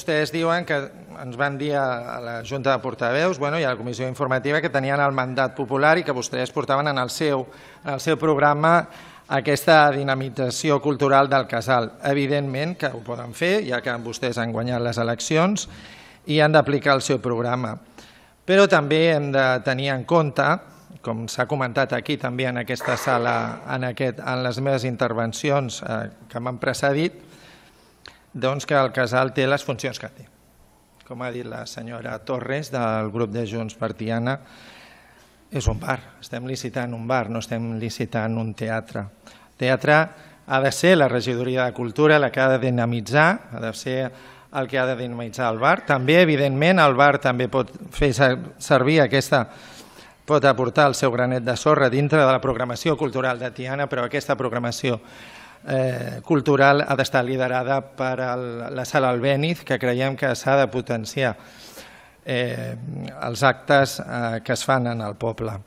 Vostès diuen que ens van dir a la Junta de Portaveus i a la Comissió Informativa que tenien el mandat popular i que vostès portaven en el seu programa aquesta dinamització cultural del casal. Evidentment que ho poden fer, ja que vostès han guanyat les eleccions i han d'aplicar el seu programa. Però també hem de tenir en compte, com s'ha comentat aquí també en aquesta sala, en les meves intervencions que m'han precedit, que el casal té les funcions que té. Com ha dit la senyora Torres del grup de Junts per Tiana, és un bar, estem licitant un bar, no estem licitant un teatre. El teatre ha de ser la regidoria de cultura la que ha de dinamitzar, ha de ser el que ha de dinamitzar el bar. També, evidentment, el bar també pot fer servir pot aportar el seu granet de sorra dintre de la programació cultural de Tiana, però aquesta programació cultural ha d'estar liderada per la Sala Albéniz, que creiem que s'ha de potenciar els actes que es fan en el poble.